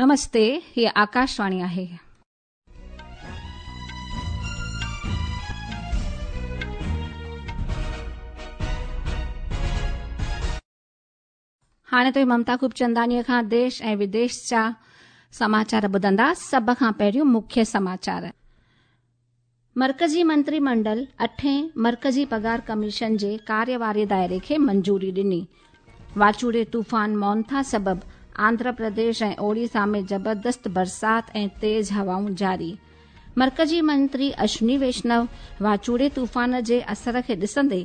نمستي، هيء آڪاشواڻي آهي. هاڻي توهين ممتا خوبچنداڻيء کان ديش ۽ وديش جا سماچار ٻڌندا. سڀ کان پهريون مکيه سماچار. مرڪزي منتري منڊل اٺين مرڪزي پگهار ڪميشن جي ڪاريه واري دائري کي منظوري ڏني. واچوڙي طوفان مونٿا سبب آنڌرا پرديش ۽ اوڙيسا ۾ زبردست برسات ۽ تيز هوائون جاري. مرڪزي منتري اشوني ويشنو واچوڙي طوفان جي اثر کي ڏسندي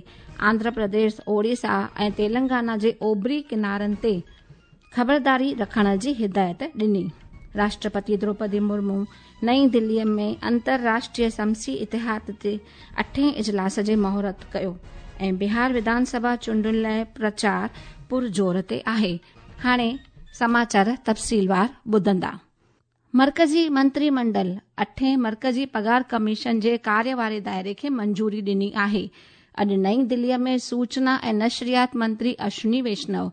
آنڌرا پرديش، اوڙيسا ۽ تيلنگانا جي اوڀري ڪنارن تي خبرداري رکڻ جي هدايت ڏني. راشٽرپتي دروپدي مرمو نئين دلي ۾ انترراشٽريه شمسي اتحاد جي اٺين اجلاس جي مهورت ڪيو ۽ بهار وڌان سڀا چونڊن لاء پرچار پرزور تي آهي. هاڻي سماچار تفصيلوار ٻڌندا. مرڪزي منتري منڊل اٺين مرڪزي پگهار ڪميشن جي ڪاريه واري دائري کي منظوري ڏني آهي. اڄ نئين دلي ۾ سوچنا ۽ نشريات منتري اشوني ويشنو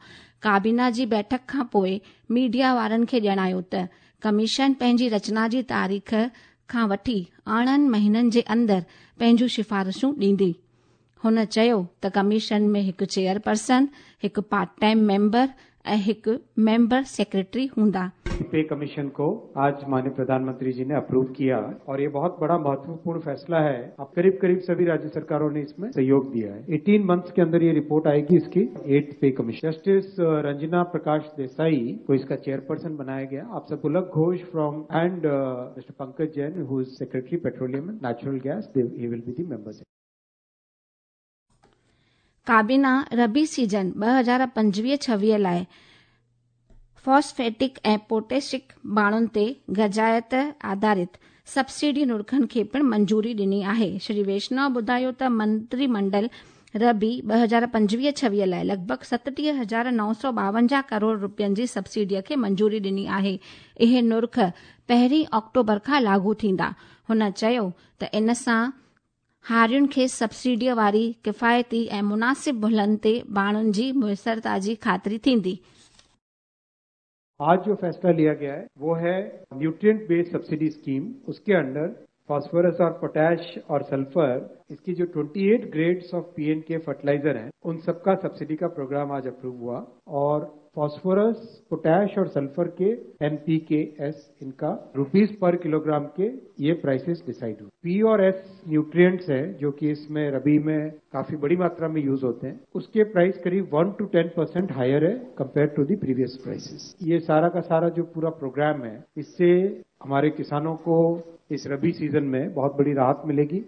ڪابينا جي بيٺڪ کان پوء ميڊيا وارن کي ڄاڻايو ته ڪميشن پنهنجي رچنا جي تاريخ کان وٺي 18 مهينن جي اندر پنهنجون سفارشون ڏيندي. هن چيو ته ڪميشن ۾ هڪ چيئرپرسن، هڪ پارٽ ٽائيم ميمبر ۽ هڪ ميمبر سيڪريٽري هوندا. पे कमीशन को आज माननीय प्रधानमंत्री जी ने अप्रूव किया और ये बहुत बड़ा महत्वपूर्ण फैसला है। अब करीब करीब सभी राज्य सरकारों ने इसमें सहयोग दिया है। 18 मंथ्स के अंदर ये रिपोर्ट आएगी इसकी 8th पे कमीशन। जस्टिस रंजना प्रकाश देसाई को इसका चेयरपर्सन बनाया गया। आप सब Pulak Ghosh from and Mister Pankaj Jain who is secretary petroleum and natural gas, he will be the member. ڪابينا ربيع سيزن 2025-26 لاء فاسفيٽڪ ۽ پوٽيشڪ ڀاڻن تي غذائيت آڌارت سبسڊي نرخن کي پڻ منظوري ڏني آهي. شري ويشنو ٻڌايو ته منتري منڊل ربيع 2025-26 لاء لڳ ڀڳ 37952 ڪروڙ رپين جي سبسڊي کي منظوري ڏني آهي. اهي نرخ پهرين آڪٽوبر کان لاڳو ٿيندا. هن چيو ته ان سان هارين کي سبسڊيء واري ڪفايتي ۽ مناسب ملهن تي ڀاڻن جي ميسرتا جي خاطري ٿيندي. आज जो फैसला लिया गया है वो है न्यूट्रिएंट बेस्ड सब्सिडी स्कीम, उसके अंडर फास्फोरस और पोटैश और सल्फर, इसकी जो 28 ग्रेड्स ऑफ पीएनके फर्टिलाइजर हैं उन सबका सब्सिडी का प्रोग्राम आज अप्रूव हुआ और फास्फोरस, पोटैश और सल्फर के एनपीकेएस इनका रुपीस पर किलोग्राम के ये प्राइसेस डिसाइड हुए। पी और एस न्यूट्रिएंट्स हैं जो कि इसमें रबी में काफी बड़ी मात्रा में यूज होते हैं, उसके प्राइस करीब 1 टू 10% हायर है compare to the previous prices. ये सारा का सारा जो पूरा प्रोग्राम है इससे हमारे किसानों को इस रबी सीजन में बहुत बड़ी राहत मिलेगी।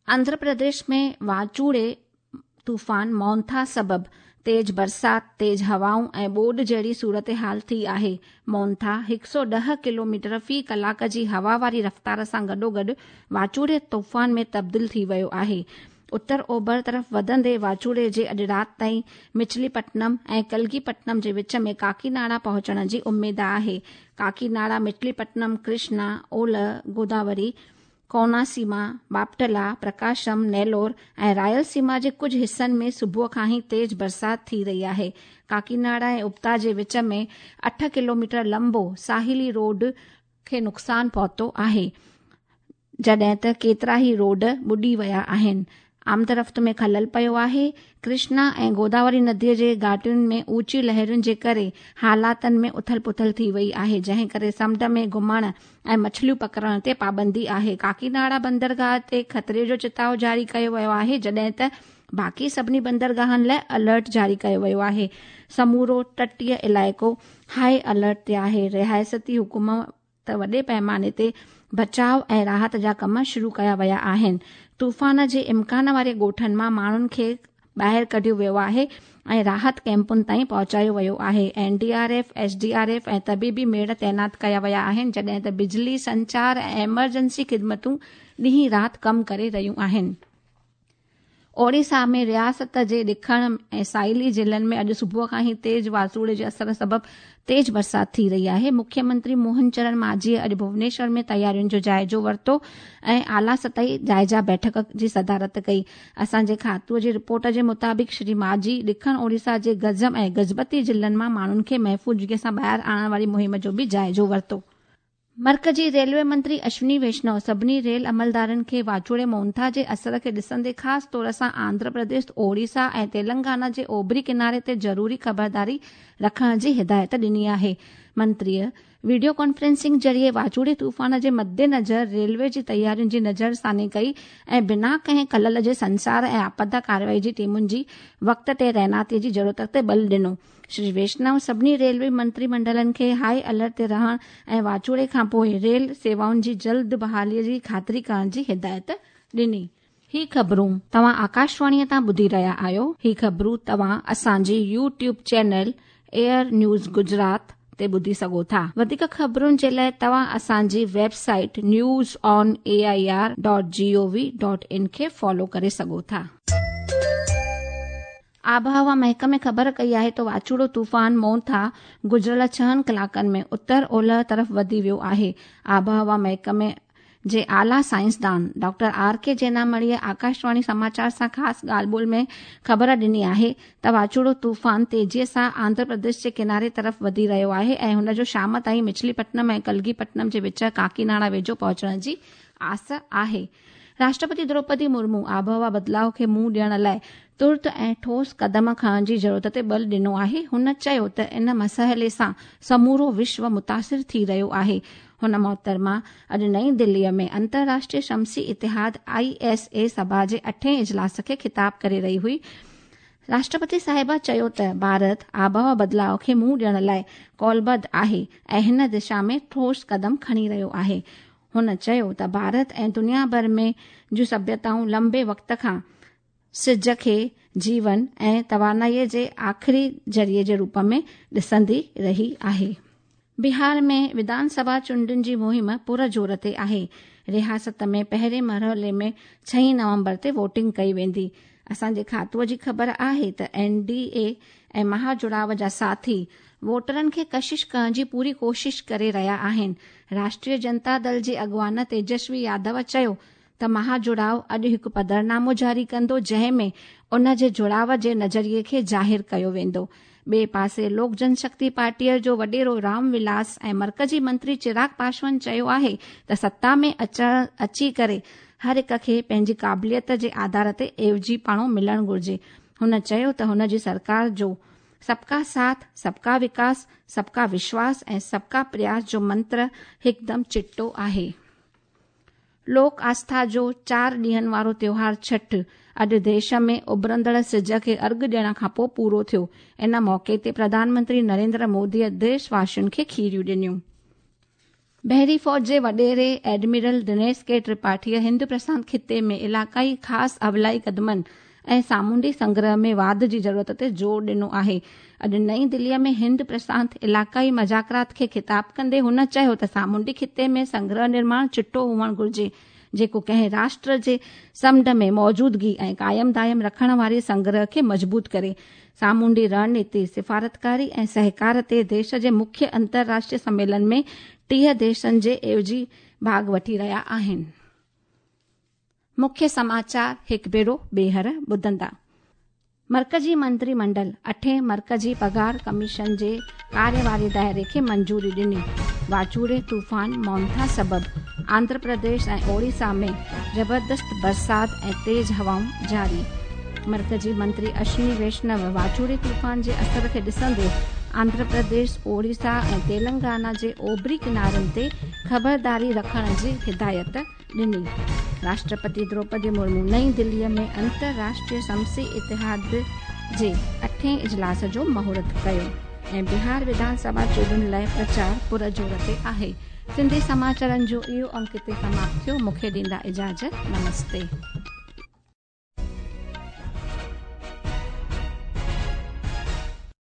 आंध्र प्रदेश में वाचूड़े तूफान मोंथा सबब तेज बरसात, तेज हवाऊं ऐं ٻوڏ जहिड़ी सूरत हाल थी आहे। मोंथा 110 किलोमीटर في ڪلاڪ جي هوا واري رفتار سان گڏوگڏ واچوڙي طوفان ۾ تبديل ٿي ويو آهي. اتر اوڀر طرف وڌندي واچوڙي جي اڄ رات تائين مچليپٽنم ۽ ڪلگيپٽنم جي وچ ۾ ڪاڪيناڙا پهچڻ جي اميد آهي. ڪاڪيناڙا، مچليپٽنم، ڪرشنا، اولهه گوداوري، ڪوناسيما، باپٽلا، پرڪاشم، نيلور ۽ رائل سيما جي ڪجهه حصن ۾ صبح کان ئي تيز برسات ٿي رهي آهي. ڪاڪيناڙا ۽ اپتا جي وچ ۾ 8 ڪلوميٽر لمبو ساحلي روڊ کي نقصان پهتو آهي، جڏهن ته ڪيترا ئي روڊ ٻڏي ويا آهن. آمدرفت ۾ خلل پيو آهي. ڪرشنا ۽ گوداوري نديء جي گهاٽين ۾ اوچي لهرن جي ڪري حالاتن ۾ اٿل پٿل ٿي وئي آهي، جنهن ڪري سمنڊ ۾ گهمڻ ۽ مڇليون پڪڙڻ تي پابندي آهي. ڪاڪيناڙا بندرگاهه تي خطري جو چتاء جاري ڪيو ويو آهي، جڏهن ته باقي سڀني بندرگاهن لاء الرٽ جاري ڪيو ويو آهي. سمورو تٽيه علائقو هاء الرٽ تي آهي. رياستي حڪومت وڏي پئماني تي بچاء ۽ راحت جا ڪم شروع ڪيا ويا آهن. طوفان جي امڪان واري ڳوٺن مان ماڻهن کي ٻاهر ڪڍيو ويو آهي ۽ راحت ڪئمپن تائين پهچايو ويو آهي. N D R F, S D R F ۽ طبيبي ميڙ تعينات ڪيا ويا آهن، جڏهن ته بجلي، سنچار ۽ ايمرجنسي خدمتون ڏينهن رات ڪم ڪري رهيون آهن. اوڙيسا ۾ رياست جي ڏکڻ ۽ ساحلي ضلعن ۾ اڄ صبح کان ئي تيز واچوڙي جي اثر سبب تيز برسات ٿي رهي آهي. مکيه منتري موهن چرڻ مانجهيء اڄ ڀونيشور ۾ تيارين جو جائزو ورتو ۽ اعليٰ سطحي جائزه بيٺڪ جي صدارت ڪئي. اسان جي کاتوء جي رپورٽ جي مطابق شري مانجهي ڏکڻ اوڙيسا جي گنجم ۽ گجپتي ضلعن مان ماڻهن کي محفوظ جڳهه سان ٻاهر آڻڻ واري مهم جو به جائزو ورتو. مرڪزي ريلوي منتري اشوني ويشنو سڀني ريل عملدارن کي واچوڙي مونٿا جي اثر کي ڏسندي خاص طور سان آنڌرا پرديش، اوڙيسا ۽ تيلنگانا جي اوڀري ڪناري تي ضروري خبرداري رکڻ جي هدايت ڏني آهي. منتريء وڊيو ڪانفرنسنگ ذريعي واچوڙي طوفان جي مدنظر ريلوي جي تيارين جي نظرثاني ڪئي ۽ بنا ڪنهن خلل جي سنسار ۽ آپدا ڪارروائي جي ٽيمن جي وقت تي تعيناتي جي ضرورت تي بل ڏنو. شري ويشنو سڀني ريلوي منتري منڊلن کي هاء الرٽ تي رهڻ ۽ واچوڙي کانپوء ريل سيوائن جي جلد بحالي جي خاطري ڪرڻ جي هدايت ڏني. هي خبرون توهان آڪاشواڻي تان ٻڌي رهيا آهيو. هي خبرون توهان اسان جي YouTube channel AIR news Gujarat تي ٻڌي سگهو ٿا. وڌيڪ خبرن جي لاء توهان اسان جي website news on A I R dot G O V dot in کي فالو ڪري سگهو ٿا. آبهوا محڪمي خبر ڪئي آهي ته واچوڙو طوفان مونٿا گذريل ڇهن ڪلاڪن ۾ اتر اولهه طرف وڌي ويو آهي. آبهوا محڪمي جي اعليٰ سائنسدان ڊاڪٽر آر ڪي جينامڻيء آڪاشواڻي سماچار سان خاص ڳالهه ٻولهه ۾ خبر ڏني آهي ته واچوڙو طوفان تيزيء سان آنڌرا پرديش جي ڪناري طرف وڌي رهيو آهي ۽ هن جو شام تائين مڇلي پٽنم ۽ ڪلگي پٽنم جي وچ ڪاڪيناڙا ويجهو پهچڻ جي آس آهي. راشٽرپتي دروپدي مرمو آبهوا بدلاء کي منهن ڏيڻ لاء ترت ۽ ٺوس قدم کڻڻ جي ضرورت تي بل ڏنو آهي. هن چيو ته ان مسئلي سان سمورو وشو متاثر ٿي رهيو آهي. هن محترمه اڄ نئين دهلي ۾ انترراشٽريه شمسي اتحاد، I S اي، سڀا جي اٺين اجلاس کي خطاب ڪري رهي هئي. راشٽرپتي صاحبه چيو ته ڀارت آبهوا بدلاء کي منهن ڏيڻ لاء قولبڌ آهي ۽ هن دشا ۾ ٺوس قدم کڻي رهيو آهي. هن چيو ته ڀارت ۽ دنيا ڀر ۾ جون سڀيتائون لنبي وقت کان سج کي جيون ۽ توانائي جي آخري ذريعي جي روپ ۾ ڏسندي رهي آهي. بهار ۾ وڌان سڀا چونڊن جي مهم پر زور تي آهي. رياست ۾ پهرين مرحلي ۾ ڇهين نومبر تي ووٽنگ ڪئي ويندي. اسان جي کاتوء جي خبر آهي ته اين ڊي اي ۽ مها جڙاء جا ساٿي ووٽرن کي ڪشش ڪرڻ جي پوري ڪوشش ڪري رهيا آهن. راشٽريه جنتا دل جي اڳواڻ تيجسوي يادو چيو ته مها جڙاء اڄ هڪ پڌرنامو جاري ڪندو جنهن ۾ ان جي جڙاء جي نظريي کي ظاهر ڪيو ويندو. ٻئي پاسي لوڪ جن شڪتي پارٽيء جو وڏيرو رام ولاس ۽ مرڪزي منتري چراغ پاسوان چيو آهي ته ستا ۾ اچڻ اچي ڪري هر هڪ کي پنهنجي قابليت جي آڌار تي عيوضي پاڻو ملڻ گهرجي. هن چيو ته هن جي سرڪار جو سبڪا ساٿ، سبڪا وڪاس، سبڪا وشواس ۽ سبڪا پرياس جو منتر هڪدم چٽو آهي. لوڪ آسٿا جو چار ڏينهن وارو تيوهار ڇٺ اڄ ديش ۾ اڀرندڙ سج کي ارگهه ڏيڻ کانپوء پورو ٿيو. ان موقعي تي پرڌان منتري نريندر موديء ديش واسين کي کيريون ڏنيون. بحري فوج جي وڏيري ايڊمرل دنيش ڪي ترپاٺيء هند پرشانت خطي ۾ علائقائي خاص اولائي قدمن ۽ سامونڊي سنگرهه ۾ واڌ جي ضرورت تي زور ڏنو آهي. اڄ نئين دهليء ۾ هند پرشانت علائقائي مذاڪرات کي خطاب ڪندي هن چيو ته سامونڊي خطي ۾ سنگرهه نرماڻ چٽو هئڻ گهرجي جيڪو ڪنهن راشٽر جي سمنڊ ۾ موجودگي ۽ قائم دائم رکڻ واري سنگرهه کي مضبوط ڪري. سامونڊي رڻنيتي، سفارتڪاري ۽ سهڪار تي ديش جي مکيه انترراشٽريه سميلن ۾ 30 ديشن جي عيوضي ڀاڳ وٺي رهيا آهن. مکيه سماچار هڪ ڀيرو ٻيهر ٻڌندا. مرڪزي منتري منڊل اٺين مرڪزي پگهار ڪميشن جي ڪاري واري دائري کي منظوري ڏني. واچوڙي طوفان مونٿا سبب آنڌرا پرديش ۽ اوڙيسا ۾ زبردست برسات ۽ تيز هوائون جاري. مرڪزي منتري اشوني ويشنو واچوڙي طوفان جي اثر کي ڏسندي آنڌرا پرديش، اوڙيسا ۽ تيلنگانا جي اوڀري ڪنارن تي خبرداري رکڻ جي هدايت ڏني. راشٽرپتي دروپدي مرمو نئين دهلي ۾ انترراشٽريه شمسي اتحاد جي اٺين اجلاس جو مهورت ڪيو ۽ بهار وڌان سڀا چونڊن لاء پرچار پر زور تي آهي. سنڌي سماچارن جو اهو انڪ هتي سماپت ٿيو. مون کي ڏيندا اجازت. نمستي.